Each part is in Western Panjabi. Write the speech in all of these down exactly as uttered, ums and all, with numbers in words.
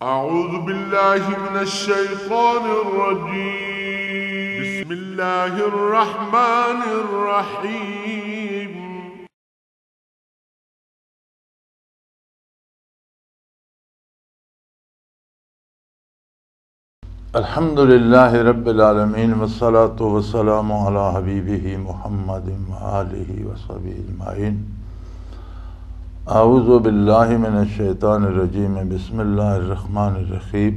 أعوذ بالله من الشيطان الرجيم. بسم الله الرحمن الرحيم. الحمد لله رب العالمين، والصلاة والسلام على حبيبه محمد وآله وصحبه أجمعين. أعوذ بالله من الشيطان الرجيم. بسم الله الرحمن الرحيم.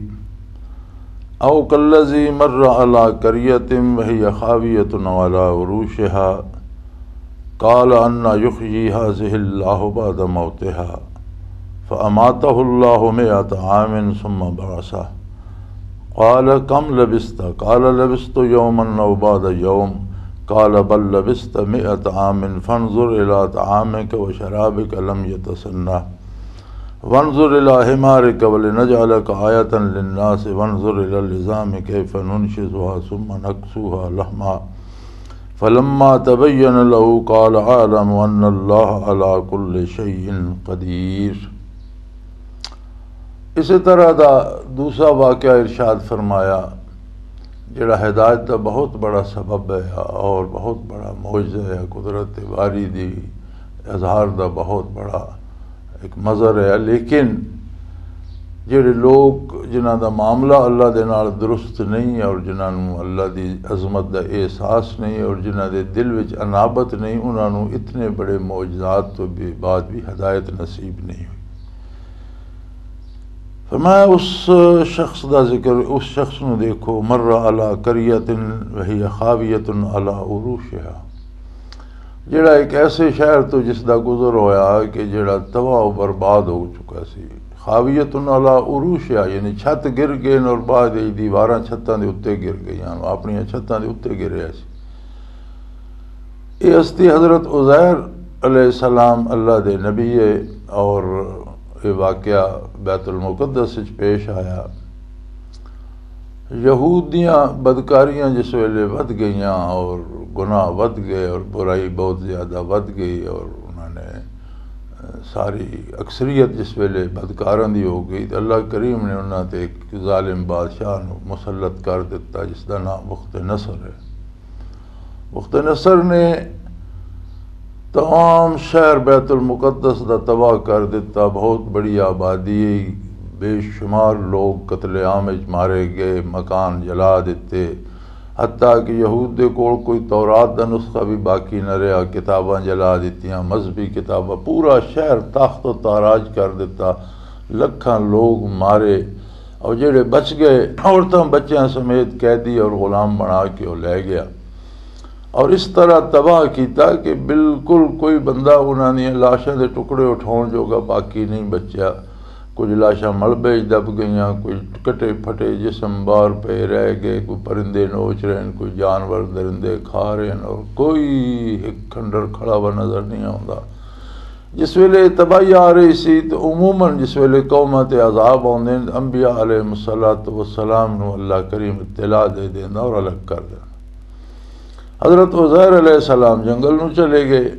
أو كالذي مر على قرية وهي خاوية على عروشها قال أن يحيي هذه الله بعد موتها فأماته الله مائة عام ثم بعثه قال كم لبثت؟ قال لبثت يوما أو بعض يوم قال بل لبثت مائة عام فانظر إلى طعامك وشرابك لم يتسنه وانظر إلى حمارك ولنجعلك آية للناس وانظر إلى العظام كيف ننشزها ثم نكسوها لحما فلما تبين له قال أعلم أن الله على كل شيء قدير. اسی طرح دا دوسرا واقعہ ارشاد فرمایا، جڑا ہدایت دا بہت بڑا سبب ہے اور بہت بڑا معجزہ ہے، قدرت باری دی اظہار دا بہت بڑا ایک مظہر ہے۔ لیکن جڑے لوگ جنہاں دا معاملہ اللہ دے نال درست نہیں اور جنہاں نوں اللہ دی عظمت دا احساس نہیں اور جنہاں دے دل وچ انابت نہیں، انہاں نوں اتنے بڑے معجزات تو بھی بعد بھی ہدایت نصیب نہیں ہوئی۔ فرمایا، اس شخص دا ذکر، اس شخص نو دیکھو، مر علی قریۃ وہی خاویۃ علی عروشہا، جڑا ایک ایسے شہر تو جس دا گزر ہویا کہ جڑا تباہ و برباد ہو چکا سی۔ خاویۃ علی عروشہا، یعنی چھت گر گئے اور بعد وچ دیواراں چھتاں دے اُتے گر گئیاں، اپنی چھتاں دے اُتے گریا سی۔ یہ ہستی حضرت عزیر علیہ السلام اللہ دے نبی ہے، اور یہ واقعہ بیت المقدس وچ پیش آیا۔ یہود دیاں بدکاریاں جس ویلے ودھ گئیاں اور گناہ ودھ گئے اور برائی بہت زیادہ ودھ گئی اور انہوں نے، ساری اکثریت جس ویلے بدکاراں دی ہو گئی، تو اللہ کریم نے انہاں تے ایک ظالم بادشاہ نو مسلط کر دتا، جس دا نام بخت نصر ہے۔ بخت نصر نے تمام شہر بیت المقدس دا تباہ کر دتا، بہت بڑی آبادی، بے شمار لوگ قتل عام وچ مارے گئے، مکان جلا دتے، حتیٰ کہ یہود دے کول کوئی تورات دا نسخہ بھی باقی نہ رہیا، کتاباں جلا دتیاں، مذہبی کتاباں، پورا شہر تخت و تاراج کر دتا، لکھاں لوگ مارے، اور جڑے بچ گئے، عورتاں بچیاں سمیت قیدی اور غلام بنا کے وہ لے گیا۔ اور اس طرح تباہ کیتا کہ بالکل کوئی بندہ انہاں دیاں لاشاں دے ٹکڑے اٹھاؤن جوگا باقی نہیں بچیا۔ کچھ لاشاں ملبے وچ دب گئیاں، کچھ کٹے پھٹے جسم باہر پے رہ گئے، کوئی پرندے نوچ رہے ہیں، کوئی جانور درندے کھا رہے ہیں، اور کوئی ایک کھنڈر کھڑا ہوا نظر نہیں آوندا۔ جس ویلے تباہی آ رہی سی تو عموماً جس ویلے قوماں تے عذاب آوندے ہیں، انبیاء علیہ الصلوۃ والسلام نو اللہ کریم اطلاع دے دیندا اور الگ کر دیندا۔ حضرت عزیر علیہ السلام جنگل نو چلے گئے۔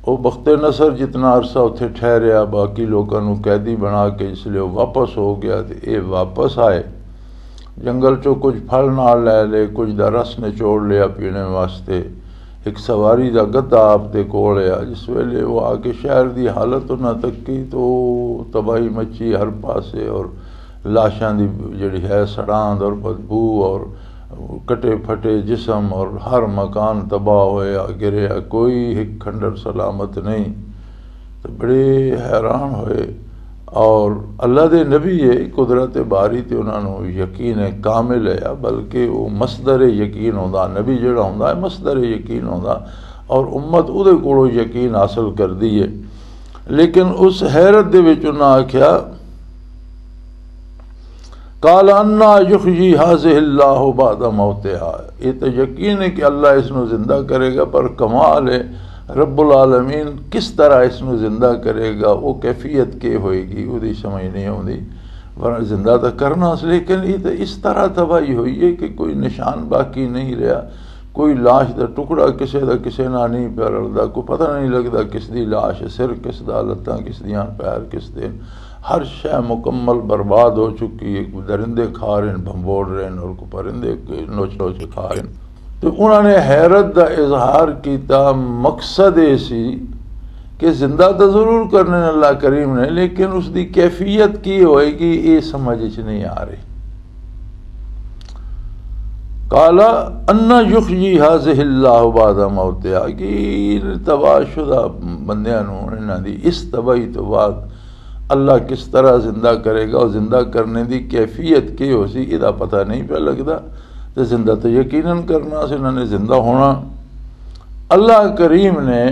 وہ بخت نصر جتنا عرصہ اتھے ٹھہریا، باقی لوکاں نو قیدی بنا کے اس لیے وہ واپس ہو گیا، تے اے واپس آئے۔ جنگل چوں کچھ پھل نال لے لے، کچھ دا رس نچوڑ لیا پینے واسطے۔ ایک سواری دا گدھا آپ دے کول آیا۔ جس ویلے وہ آ کے شہر دی حالت انہاں تکی تو تباہی مچی ہر پاسے، اور لاشاں دی جڑی ہے سڑاند اور بدبو اور کٹے پھٹے جسم اور ہر مکان تباہ ہویا گریا، کوئی ایک کھنڈر سلامت نہیں۔ تو بڑے حیران ہوئے۔ اور اللہ دے نبی ہے، قدرت باری تے انہاں نوں یقین کامل ہے، بلکہ وہ مصدر یقین ہوندا، نبی جڑا ہوندا ہے مصدر یقین ہوندا، اور امت اودے کولوں یقین حاصل کردی ہے۔ لیکن اس حیرت دے وچ انہاں آکھیا، قال انا یحیی هذه الله بعد موتها، یہ تو یقین ہے کہ اللہ اس نو زندہ کرے گا، پر کمال ہے رب العالمین کس طرح اس نو زندہ کرے گا، وہ کیفیت کے ہوئے گی، وہ دی سمجھ نہیں آتی۔ ورنہ زندہ تو کرنا اس، لیکن یہ تو اس طرح تباہی ہوئی ہے کہ کوئی نشان باقی نہیں رہا، کوئی لاش دا ٹکڑا کسے دا کسے نال نہیں پیا رلدا، کوئی پتہ نہیں لگدا کس دی لاش ہے، سر کس دا، لتاں کس دیاں، پیر کس دے۔ ہر شے مکمل برباد ہو چکی ہے۔ کوئی درندے کھا رہے ہیں، بھنبوڑ رہے ہیں، اور کوئی پرندے نوچ نوچ کے کھا رہے ہیں۔ تو انہوں نے حیرت دا اظہار کیتا۔ مقصد یہ سی کہ زندہ تو ضرور کرنے نے اللہ کریم نے، لیکن اس دی کیفیت کی ہوئے گی، یہ سمجھ وچ نہیں آ رہی۔ قال انا یحیی هذه اللہ بعد موتها، کہ تباہ شدہ بندیاں نوں، انہاں دی اس تباہی تو بعد اللہ کس طرح زندہ کرے گا، اور زندہ کرنے دی کیفیت کی ہو سی، یہ پتہ نہیں پیا لگدا۔ تے زندہ تو یقیناً کرنا سی انہاں نے، زندہ ہونا۔ اللہ کریم نے،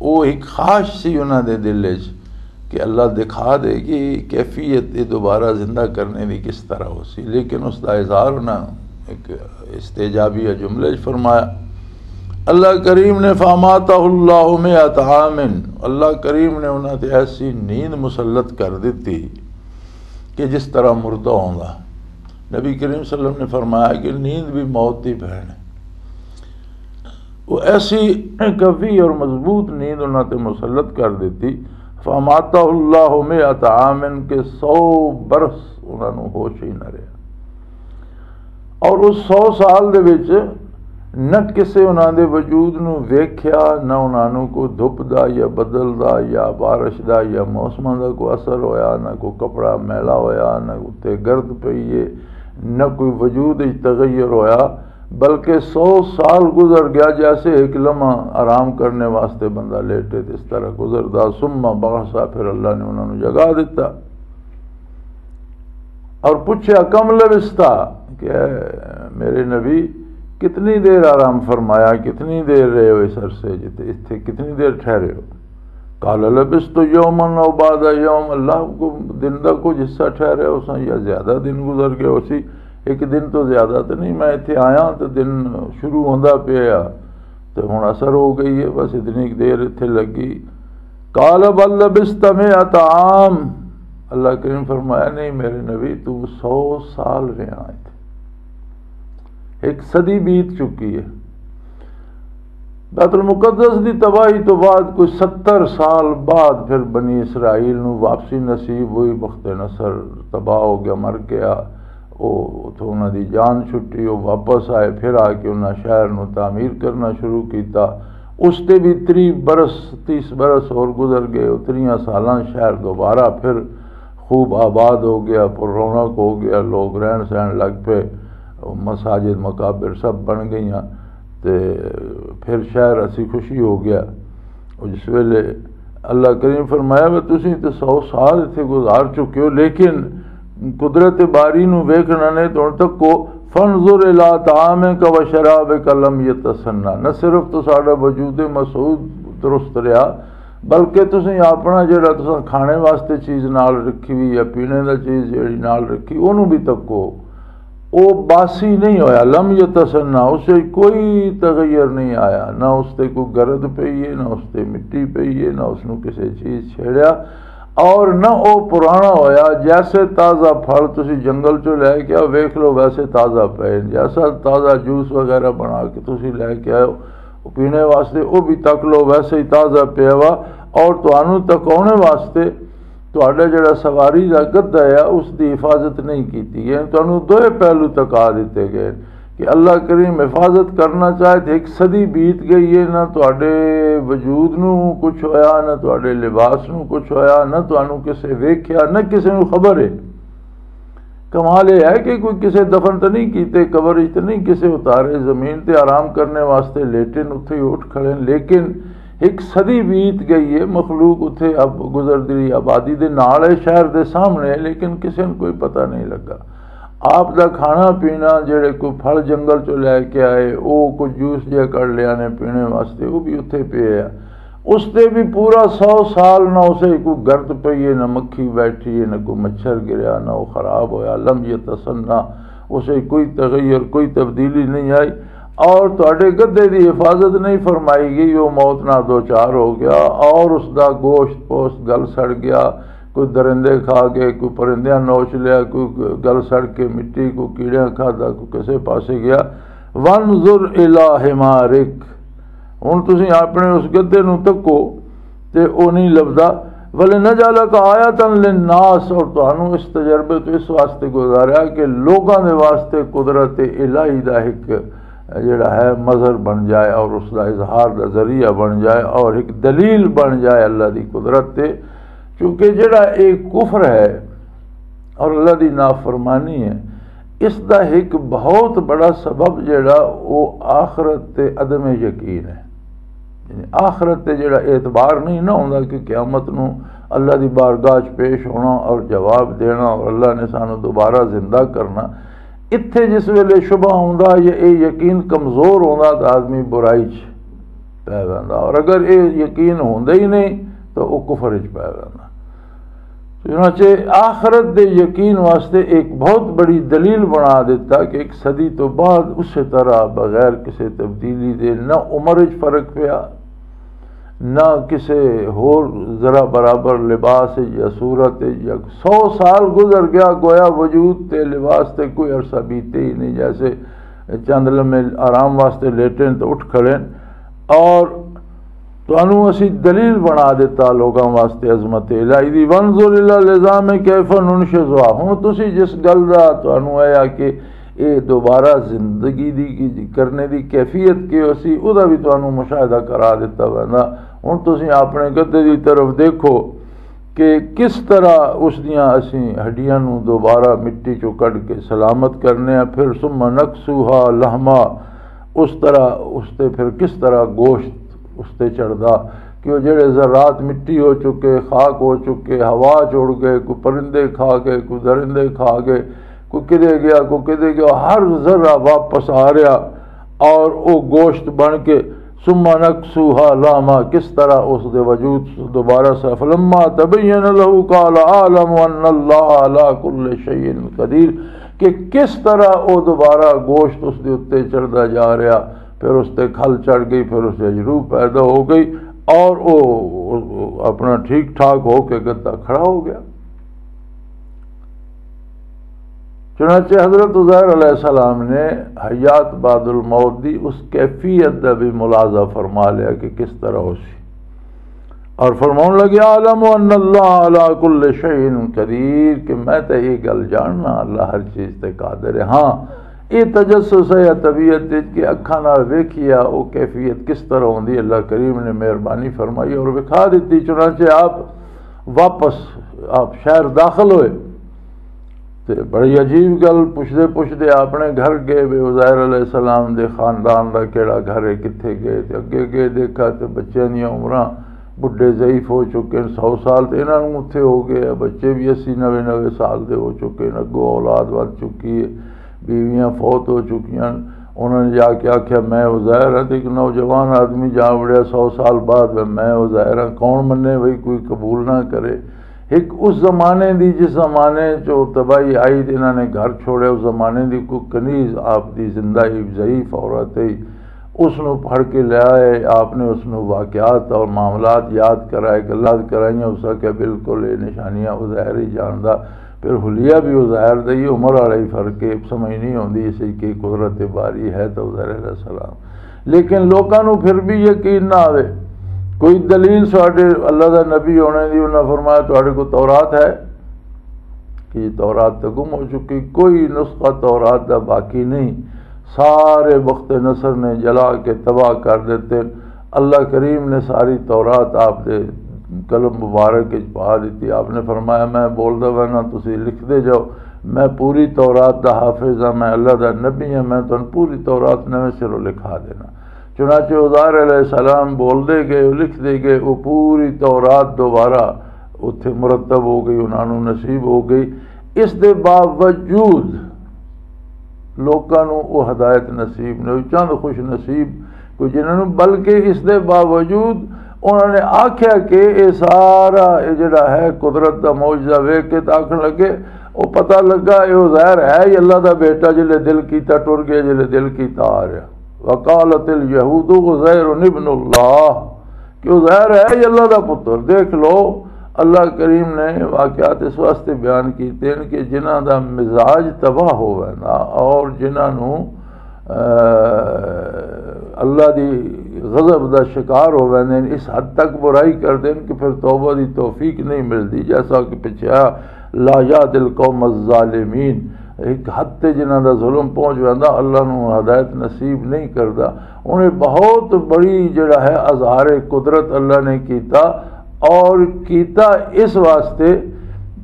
وہ ایک خواہش سی انہاں دے دل وچ کہ اللہ دکھا دے کہ کیفیت یہ دوبارہ زندہ کرنے دی کس طرح ہو سی، لیکن اس دا اظہار انہاں ایک استعجابیہ جملے وچ فرمایا۔ اللہ کریم نے، فاماتہ اللہ مئۃ عام، اللہ کریم نے انہاں تے ایسی نیند مسلط کر دتی کہ جس طرح مردہ ہوندا۔ نبی کریم صلی اللہ علیہ وسلم نے فرمایا کہ نیند بھی موت دی بہن ہے۔ وہ ایسی قوی اور مضبوط نیند انہاں تے مسلط کر دتی، فاماتہ اللہ مئۃ عام، کہ سو برس انہاں نوں ہوش ہی نہ رہیا۔ اور اس سو سال دے وچ نہ کسے انہاں دے وجود نوں ویکھیا، نہ انہاں نوں کوئی دھپ دا یا بدل دا یا بارش دا یا موسماں دا کوئی اثر ہویا، نہ کوئی کپڑا میلا ہویا، نہ اتنے گرد پئی ہے، نہ کوئی وجود وچ تغیر ہویا، بلکہ سو سال گزر گیا، جیسے ایک لمحہ آرام کرنے واسطے بندہ لیٹے تے اس طرح گزردا۔ ثم بعث، پھر اللہ نے انہاں نوں جگا دتا۔ اور پوچھا، کم لبثت، کہ اے میرے نبی، کتنی دیر آرام فرمایا، کتنی دیر رہے ہو اس عرصے جتے، اتھے کتنی دیر ٹھہرے ہو؟ قال لبثت یوما او بعض یوم، اللہ کو دن دا کچھ حصہ ٹھہرے ہو سا یا زیادہ دن گزر گئے ہو سی، ایک دن تو زیادہ تو نہیں، میں اتھے آیا تو دن شروع ہوندا پیا، تو ہن اثر ہو گئی ہے، بس اتنی کُ دیر اتھے لگی۔ قال بل لبثت مئۃ عام، اللہ کریم فرمایا، نہیں میرے نبی، تو سو سال رہا اتھے، ایک صدی بیت چکی ہے۔ بیت المقدس دی تباہی تو بعد کوئی ستر سال بعد پھر بنی اسرائیل نو واپسی نصیب ہوئی، بخت نصر تباہ ہو گیا، مر گیا۔ او اتھوں انہاں دی جان چھٹی، او واپس آئے، پھر آ کے انہاں شہر نو تعمیر کرنا شروع کیتا۔ اس تے بھی تری برس، تیس برس اور گزر گئے۔ اتریاں سالاں شہر دوبارہ پھر خوب آباد ہو گیا، پر رونق ہو گیا، لوگ رہن سہن لگ پے، مساجد مقابر سب بن گئیاں۔ تے پھر شہر اسی خوشی ہو گیا۔ اور جس ویلے اللہ کریم فرمایا، "وے تسی تے سو سال اتھے گزار چکے ہو، لیکن قدرت باری نو ویکھنا نے تو ہن تک کو، فانظر الی طعامک و شرابک لم یتسنہ۔" نہ صرف تو ساڈا وجود مسعود درست رہیا، بلکہ تسی اپنا جڑا تساں کھانے واسطے چیز نال رکھی ہوئی یا پینے دا چیز جڑی نال رکھی، اونوں بھی تکو۔ او باسی نہیں ہویا، لم یتسنہ، اسے کوئی تغیر نہیں آیا، نہ اس تے کوئی گرد پئی ہے، نہ اس تے مٹی پئی ہے، نہ اس نو کسے چیز چھیڑیا، اور نہ او پرانا ہویا۔ جیسے تازہ پھل تسی جنگل چوں لے کے آؤ، ویکھ لو ویسے تازہ پئے، جیسا تازہ جوس وغیرہ بنا کے تسی لے کے آؤ، او پینے واسطے، او بھی تک لو ویسے ہی تازہ پیا وا۔ اور تانوں تکاونے واسطے تہاڈا جڑا سواری دا گدھا ہے، اس دی حفاظت نہیں کیتی گئی۔ تانوں دوئے پہلو تکا دتے گئے کہ اللہ کریم حفاظت کرنا چاہے تے ایک صدی بیت گئی ہے، نہ تہاڈے وجود نو کچھ ہویا، نہ تہاڈے لباس نو کچھ ہویا، نہ تانوں کسے ویکھیا، نہ کسے نو خبر ہے۔ کمال یہ ہے کہ کوئی کسے دفن تو نہیں کیتے، قبر وچ تو نہیں کسے اتارے، زمین تے آرام کرنے واسطے لیٹے نے، اتھے ہی اٹھ کھڑے نے۔ لیکن ایک صدی بیت گئی ہے، مخلوق اتھے اب گزردی رہی، آبادی دے نال ہے، شہر دے سامنے ہے، لیکن کسے نوں کوئی پتہ نہیں لگا۔ آپ دا کھانا پینا، جڑے کوئی پھل جنگل چوں لے کے آئے، او کوئی جوس جہا کر لیا نے پینے واسطے، وہ بھی اتھے پیا ہے۔ اس تے بھی پورا سو سال نہ اسے کوئی گرد پئی ہے، نہ مکھی بیٹھی ہے، نہ کوئی مچھر گریا، نہ وہ خراب ہویا، لم یتسنہ، اسے کوئی تغیر، کوئی تبدیلی نہیں آئی۔ اور تہاڈے گدھے دی حفاظت نہیں فرمائی گئی، وہ موت نہ دوچار ہو گیا، اور اس دا گوشت پوشت گل سڑ گیا، کوئی درندے کھا گئے، کوئی پرندیاں نوچ لیا، کوئی گل سڑ کے مٹی، کوئی کیڑیاں کھادا، کوئی کسے پاسے گیا۔ وانظر الی حمارک، ہن تسی اپنے اس گدے نوں تکو تے او نہیں لبدا۔ ولنجعلک آیۃ للناس، اور تانوں اس تجربے تو اس واسطے گزاریا کہ لوگاں دے واسطے قدرت الہی دا ایک جڑا ہے مظہر بن جائے اور اس دا اظہار دا ذریعہ بن جائے اور ایک دلیل بن جائے اللہ دی قدرت تے۔ کیونکہ جڑا ایک کفر ہے اور اللہ دی نافرمانی ہے، اس دا ایک بہت بڑا سبب جڑا وہ آخرت تے عدم یقین ہے۔ یعنی آخرت تے جڑا اعتبار نہیں نہ ہوندا کہ قیامت نو اللہ دی بارگاہ چ پیش ہونا اور جواب دینا اور اللہ نے سانو دوبارہ زندہ کرنا، اتھے جس ویلے شبہ ہوندا یا اے یقین کمزور ہوندا تو آدمی برائی چ پی ویندا، اور اگر اے یقین ہوندا ہی نہیں تو وہ کفر چ پی ویندا۔ چنانچہ آخرت دے یقین واسطے ایک بہت بڑی دلیل بنا دیتا کہ ایک صدی تو بعد اسی طرح بغیر کسی تبدیلی دے نہ عمر وچ فرق پیا، نہ کسی ہور ذرا برابر لباس وچ یا صورت وچ، یا سو سال گزر گیا، گویا وجود تے لباس تے کوئی عرصہ بیتے ہی نہیں، جیسے چند لمحے آرام واسطے لیٹے تو اٹھ کھڑے۔ اور تانوں اسی دلیل بنا دیتا لوگاں واسطے عظمت الہی دی۔ وانظر الی العظام کیف ننشزها۔ ہن تسی جس گل دا تانوں آیا کہ اے دوبارہ زندگی دی کی کرنے دی کیفیت کی اسی، او دا بھی تانوں مشاہدہ کرا دیتا ویندا۔ ہن تسی اپنے گدے دی طرف دیکھو کہ کس طرح اس دیاں اسی ہڈیاں نوں دوبارہ مٹی چوں کڈ کے سلامت کرنے ہیں، پھر ثم نکسوها لحما، اس طرح اس تے پھر کس طرح گوشت اس تے چڑھدا کہ وہ جڑے ذرات مٹی ہو چکے، خاک ہو چکے، ہوا چڑ گئے، کوئی پرندے کھا گئے، کوئی درندے کھا گئے، کوئی کدے گیا، کوئی کدے گیا، ہر ذرہ واپس آ رہا اور وہ گوشت بن کے ثم نکسوها لحما، کس طرح اس دے وجود دوبارہ سے، فلما تبین له قال اعلم ان اللہ علی کل شیء قدیر، کہ کس طرح وہ دوبارہ گوشت اس دے اُتے چڑھدا جا رہا، پھر اس تے کھل چڑھ گئی، پھر اس وچ روح پیدا ہو گئی اور وہ اپنا ٹھیک ٹھاک ہو کے گدا کھڑا ہو گیا۔ چنانچہ حضرت عزیر علیہ السلام نے حیات بعد الموت دی اس کیفیت دا بھی ملاحظہ فرما لیا کہ کس طرح ہو سی، اور فرماؤن لگے، اعلم ان اللہ علی کل شیء قدیر، کہ میں تے یہ گل جاننا اللہ ہر چیز تے قادر ہے۔ ہاں، یہ تجسس ہے یا طبیعت وچ کہ اکھاں نال ویکھیا، وہ کیفیت کس طرح ہوندی، اللہ کریم نے مہربانی فرمائی اور وکھا دتی۔ چنانچہ آپ واپس، آپ شہر داخل ہوئے۔ تے بڑی عجیب گل، پچھدے پچھدے اپنے گھر گئے وے، عزیر علیہ السلام دے خاندان دا کیڑا گھر ہے، کتھے گئے؟ تے اگے گئے، دیکھا تے بچیاں دیاں عمراں، بڈھے ضعیف ہو چکے ہیں، سو سال تے انہاں نوں اتھے ہو گئے، بچے بھی اسی نوے نوے سال دے ہو چکے ہیں، اگوں اولاد ود چکی ہے، بیویاں فوت ہو چکیاں۔ انہاں نے جا کے آکھیا، میں عزیر ہاں۔ تے ایک نوجوان آدمی جا وڑیا، سو سال بعد، میں عزیر ہاں، کون منے بھئی، کوئی قبول نہ کرے۔ ایک اس زمانے دی، جس زمانے چ تباہی آئی تے انہاں نے گھر چھوڑے، اس زمانے دی کوئی کنیز آپ دی زندہ ہی ضعیف عورت ہے، اس نو پڑھ کے لے آئے، آپ نے اس نو واقعات اور معاملات یاد کرائے، گلات کرائیاں، اس کا کہ بالکل یہ نشانیاں عزیر ہی جاندا۔ پھر حلیہ بھی عزیر دا ہی، عمر والا ہی فرق ہے، سمجھ نہیں ہوندی اسی کہ قدرت باری ہے تو عزیر علیہ السلام۔ لیکن لوکاں نوں پھر بھی یقین نہ آوے۔ کوئی دلیل ساڈے اللہ دا نبی ہونے دی، انہاں فرمایا، تہاڈے کول تورات ہے؟ کہ تورات تے گم ہو چکی، کوئی نسخہ تورات دا باقی نہیں، سارے بخت نصر نے جلا کے تباہ کر دیتے۔ اللہ کریم نے ساری تورات آپ دے قلم مبارک وچ پا دتی۔ آپ نے فرمایا، میں بولدا پیا نا، تسی لکھدے جاؤ، میں پوری تورات دا حافظ ہاں، میں اللہ دا نبی ہاں، میں تانوں پوری تورات نویں سروں لکھا دینا۔ چنانچہ عزیر علیہ السلام بول دے گئے، لکھ دے گئے، وہ پوری تورات دوبارہ اتھے مرتب ہو گئی، انہاں نوں نصیب ہو گئی۔ اس دے باوجود لوکاں نوں وہ ہدایت نصیب نہیں ہوئی، چند خوش نصیب کوئی جنہاں نوں، بلکہ اس دے باوجود انہاں نے آکھیا کہ یہ سارا، یہ جڑا ہے قدرت دا معجزہ ویکھ کے تے آکھن لگے، وہ پتہ لگا یہ عزیر ہے ہی اللہ دا بیٹا، جلے دل کیتا ٹر گیا، جلے دل کیتا آ رہا۔ وقالت الیہود عزیر ابن اللہ، کہ عزیر ہے ہی اللہ دا پتر۔ دیکھ لو، اللہ کریم نے واقعات اس واسطے بیان کیتے ہیں کہ جنہاں دا مزاج تباہ ہوئے نا اور جنہاں نوں اللہ دی غضب دا شکار ہو ویندے ہیں، اس حد تک برائی کردے ہیں کہ پھر توبہ دی توفیق نہیں ملدی۔ جیسا کہ پچھے آیا، لا یہد القوم الظالمین۔ ایک حد تے جنہاں دا ظلم پہنچ ویندا، اللہ نو ہدایت نصیب نہیں کردا۔ انہیں بہت بڑی جڑا ہے اظہار قدرت اللہ نے کیتا، اور کیتا اس واسطے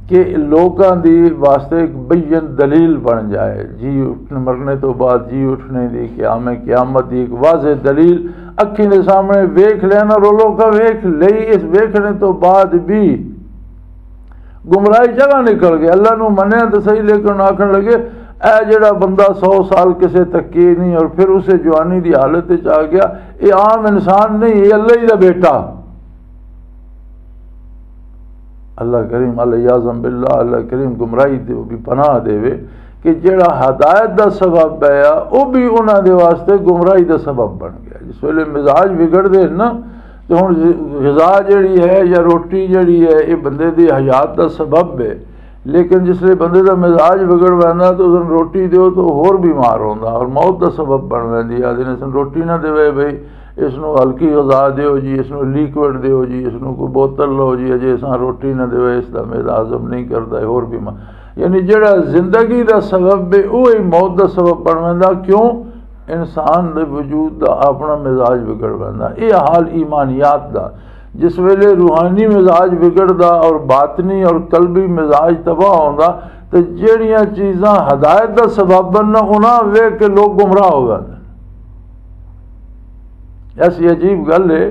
کہ لوکاں دی واسطے ایک بین دلیل بن جائے۔ جی اٹھن، مرنے تو بعد جی اٹھنے دی، قیام قیامت دی ایک واضح دلیل اکھیں دے سامنے ویکھ لینا، اور لوکاں ویکھ لئی۔ اس ویکھنے تو بعد بھی گمراہی جگہ نکل گئے۔ اللہ نو منیا تو صحیح، لیکن آخر لگے، اے جڑا بندہ سو سال کسے تکے نہیں اور پھر اسے جوانی دی حالت وچ آ گیا، یہ عام انسان نہیں، یہ اللہ ہی دا بیٹا۔ اللہ کریم، اللہ یعظم باللہ، اللہ کریم گمراہی دے بھی پناہ دے وے کہ جڑا ہدایت دا سبب ہے، وہ بھی انہاں دے واسطے گمراہی دا سبب بن گیا۔ جس ویلے مزاج بگڑ دے نا، تے ہن غذا جڑی ہے یا روٹی جڑی ہے، یہ بندے دی حیات دا سبب ہے، لیکن جس لئے بندے دا مزاج بگڑ ویندا تو اس نوں روٹی دیو تو ہور بیمار ہوندا اور موت دا سبب بن ویندی ہے۔ آدھے نے اس نوں روٹی نہ دیوے بھئی، اس نوں ہلکی غذا دیو جی، اس نوں لیکوئڈ دیو جی، اس نوں کوئی بوتل لو جی، اجے اساں روٹی نہ دیوے، اس دا معدہ ہضم نہیں کردا، ہور بیمار۔ یعنی جڑا زندگی دا سبب ہے، وہ ہی موت دا سبب بن ویندا۔ کیوں؟ انسان دے وجود دا اپنا مزاج بگڑ ویندا۔ یہ حال ایمانیات دا۔ جس ویلے روحانی مزاج بگڑدا اور باطنی اور قلبی مزاج تباہ ہوندا، تے جڑیاں چیزاں ہدایت دا سبب بننا، انہاں ویکھ کے لوگ گمراہ ہو جاندے۔ ایسی عجیب گل ہے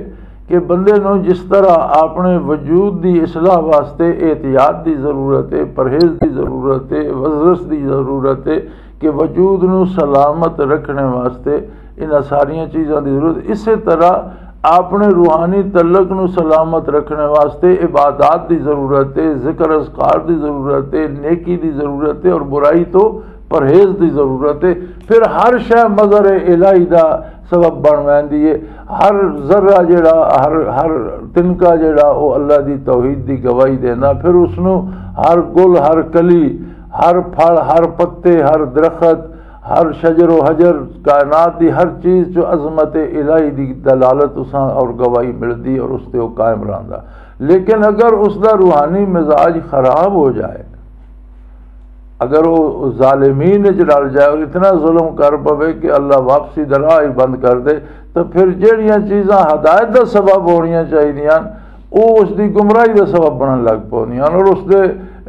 کہ بندے نوں جس طرح اپنے وجود دی اصلاح واسطے احتیاط دی ضرورت ہے، پرہیز دی ضرورت ہے، ورزش دی ضرورت ہے، کہ وجود نوں سلامت رکھنے واسطے انہاں ساریاں چیزاں دی ضرورت۔ اسی طرح اپنے روحانی تعلق نوں سلامت رکھنے واسطے عبادات دی ضرورت ہے، ذکر اذکار دی ضرورت ہے، نیکی دی ضرورت ہے اور برائی تو پرہیز دی ضرورت ہے۔ پھر ہر شے مظہر الہی دا سبب بن ویندی ہے۔ ہر ذرہ جڑا، ہر ہر تنکا جڑا، وہ اللہ دی توحید دی گواہی دینا۔ پھر اس نوں ہر گل، ہر کلی، ہر پھل، ہر پتے، ہر درخت، ہر شجر و حجر، کائنات دی ہر چیز چ عظمت الہی دی دلالت اساں اور گواہی ملدی اور اس تے وہ قائم رہندا۔ لیکن اگر اس دا روحانی مزاج خراب ہو جائے، اگر وہ ظالمین وچ رل جائے اور اتنا ظلم کر پوے کہ اللہ واپسی دا راہ ہی بند کر دے، تو پھر جہڑیاں چیزاں ہدایت دا سبب ہونیاں چاہیدیاں، وہ اس دی گمراہی دا سبب بنن لگ پوندیاں اور اس دے،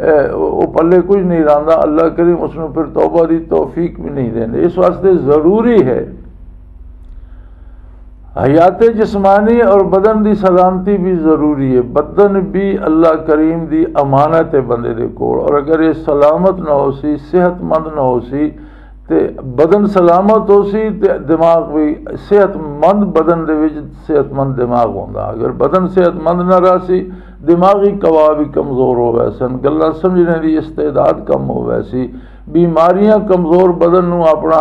اے، وہ پلے کچھ نہیں رہندا۔ اللہ کریم اس نوں پھر توبہ دی توفیق بھی نہیں دیندے۔ اس واسطے ضروری ہے، حیات جسمانی اور بدن دی سلامتی بھی ضروری ہے۔ بدن بھی اللہ کریم دی امانت ہے بندے دے کول، اور اگر یہ سلامت نہ ہو سی، صحت مند نہ ہو سی، تے بدن سلامت ہو سی تے دماغ بھی صحت مند، بدن دے وچ صحت مند دماغ ہوندا۔ اگر بدن صحت مند نہ رہ سی، دماغی قوا بھی کمزور ہو ویسن، گلاں سمجھنے دی استعداد کم ہو ویسی، بیماریاں کمزور بدن نوں اپنا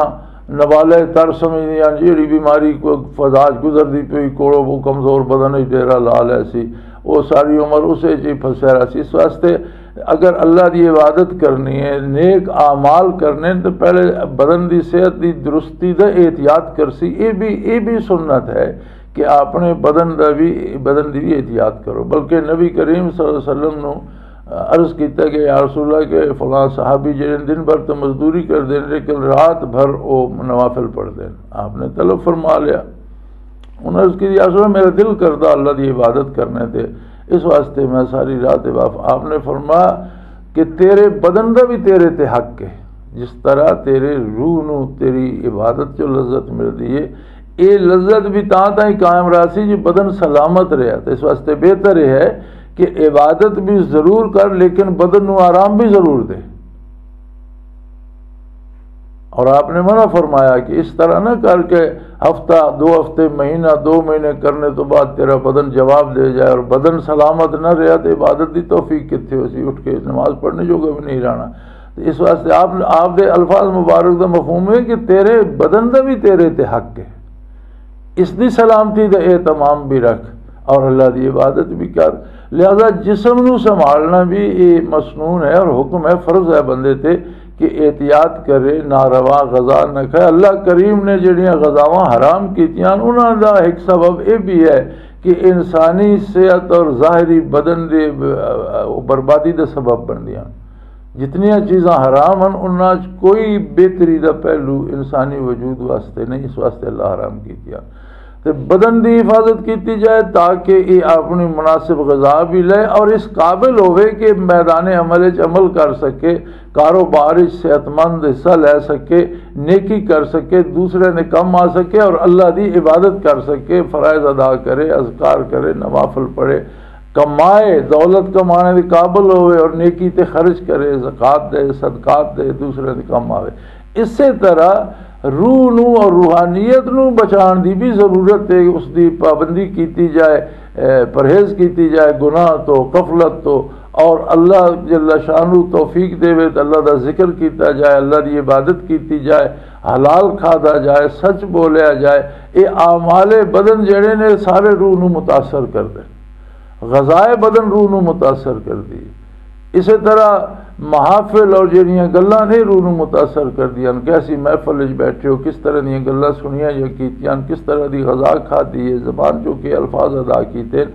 نوالہ تر سمجھدیاں، جیڑی بیماری کوئی فضا چ گزردی پئی، کوڑو وہ کمزور بدن وچ ڈیرہ لا لے سی، وہ ساری عمر اسے چ ہی پھسیا رہ سی۔ اس واسطے اگر اللہ دی عبادت کرنی ہے، نیک اعمال کرنے ہیں، تو پہلے بدن دی صحت دی درستی دا احتیاط کرسی۔ یہ بھی، یہ بھی سنت ہے کہ اپنے بدن دا بھی، بدن دی بھی احتیاط کرو۔ بلکہ نبی کریم صلی اللہ علیہ وسلم نو عرض کیتا کہ یا رسول اللہ، کہ فلاں صحابی جڑے دن بھر تو مزدوری کردے نے، لیکن رات بھر وہ نوافل پڑھتے ہیں۔ آپ نے طلب فرما لیا۔ انہوں نے عرض کی، یا رسول اللہ، میرا دل کردا اللہ دی عبادت کرنے تے، اس واسطے میں ساری رات عبادت۔ آپ نے فرمایا کہ تیرے بدن دا بھی تیرے تے حق ہے، جس طرح تیرے روح نو تیری عبادت چ لذت ملدی ہے، اے لذت بھی تاں تائیں قائم رہسی جی بدن سلامت رہیا۔ تے اس واسطے بہتر یہ ہے کہ عبادت بھی ضرور کر، لیکن بدن نو آرام بھی ضرور دے۔ اور آپ نے منع فرمایا کہ اس طرح نہ کر کے ہفتہ، دو ہفتے، مہینہ، دو مہینے کرنے تو بعد تیرا بدن جواب دے جائے اور بدن سلامت نہ رہا تو عبادت دی توفیق کتھے ہو سی؟ اٹھ کے نماز پڑھنے جوگا بھی نہیں رہنا۔ تو اس واسطے آپ، آپ دے الفاظ مبارک دا مفہوم ہے کہ تیرے بدن دا بھی تیرے تے حق ہے، اس دی سلامتی دا اہتمام بھی رکھ اور اللہ دی عبادت بھی کر۔ لہذا جسم نو سنبھالنا بھی یہ مسنون ہے اور حکم ہے، فرض ہے بندے تے کہ احتیاط کرے، ناروا غذا نہ کھائے۔ اللہ کریم نے جڑیاں غذاواں حرام کیتیاں، انہاں دا ایک سبب یہ بھی ہے کہ انسانی صحت اور ظاہری بدن دے، آ، آ، بربادی دا سبب بندیاں۔ جتنیاں چیزاں حرام ہیں، انہاں چ کوئی بہتری دا پہلو انسانی وجود واسطے نہیں، اس واسطے اللہ حرام کیتیاں۔ تے بدن دی حفاظت کیتی جائے تاکہ یہ اپنی مناسب غذا بھی لے اور اس قابل ہوئے کہ میدان عمل وچ عمل کر سکے، کاروبار وچ صحت مند حصہ لے سکے، نیکی کر سکے، دوسرے نے کم آ سکے اور اللہ دی عبادت کر سکے، فرائض ادا کرے، اذکار کرے، نوافل پڑھے، کمائے، دولت کمانے دے قابل ہوئے اور نیکی تے خرچ کرے، زکوٰۃ دے، صدقات دے، دوسرے دے کم آوے۔ اسی طرح روح نو اور روحانیت نو بچان دی بھی ضرورت ہے، اس دی پابندی کیتی جائے، اے، پرہیز کیتی جائے گناہ تو، غفلت تو، اور اللہ جل شانہ توفیق دے وے تو اللہ دا ذکر کیتا جائے، اللہ دی عبادت کیتی جائے، حلال کھادا جائے، سچ بولیا جائے۔ یہ اعمال بدن جڑے نے سارے روح نو متاثر کردے، غذائے بدن روح نو متاثر کردی۔ اسی طرح محافل اور جڑیاں گلاں نے روح نو متاثر کردیاں، کیسی محفل وچ بیٹھے ہو، کس طرح دیاں گلاں سنیاں یا کیتیاں، کس طرح دی غذا کھادی ہے، زبان چوں کے الفاظ ادا کیتے،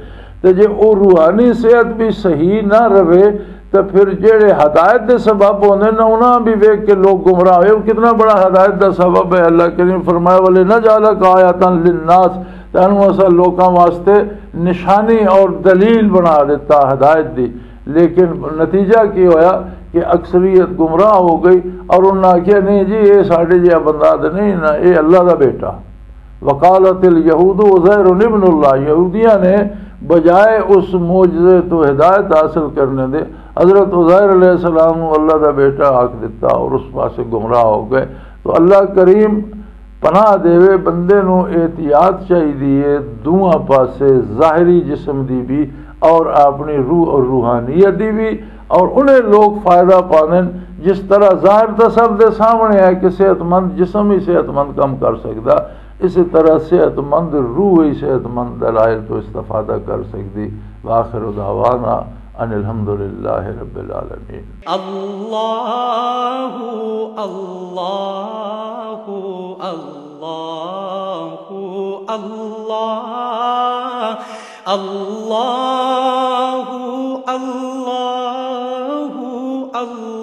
تے جے او روحانی صحت بھی صحیح نہ رہے، تے پھر جڑے ہدایت دے سبب ہوندے نے، انہاں بھی ویکھ کے لوگ گمراہ ہوئے۔ وہ کتنا بڑا ہدایت دا سبب ہے۔ اللہ کریم فرمایا، "ولنجعلک آیۃ للناس"، تینوں اساں لوکاں واسطے نشانی اور دلیل بنا دیتا ہدایت دی۔ لیکن نتیجہ کی ہویا کہ اکثریت گمراہ ہو گئی اور انہاں آکھیا، "نہیں جی، یہ ساڈے جہا بندہ تے نہیں نا، یہ اللہ دا بیٹا۔" وقالت الیہود عزیر ابن اللہ، یہودیاں نے بجائے اس معجزے تو ہدایت حاصل کرنے دے حضرت عزیر علیہ السلام نو اللہ دا بیٹا آکھ دتا اور اس پاسے گمراہ ہو گئے۔ تو اللہ کریم پناہ دیوے، بندے نو احتیاط چاہیدی ہے دونوں پاسے، ظاہری جسم دی بھی اور اپنی روح اور روحانیت دی بھی۔ اور انہیں لوگ فائدہ پاندن، جس طرح ظاہر تو سب دے سامنے ہے کہ صحت مند جسم ہی صحت مند کم کر سکدا، اسی طرح صحت مند روح ہی صحت مند دلائل تو استفادہ کر سکدی۔ وآخر دعوانا ان الحمدللہ رب العالمین۔ اللہ، اللہ، اللہ، اللہ، اللہ، اللہ، اللہ۔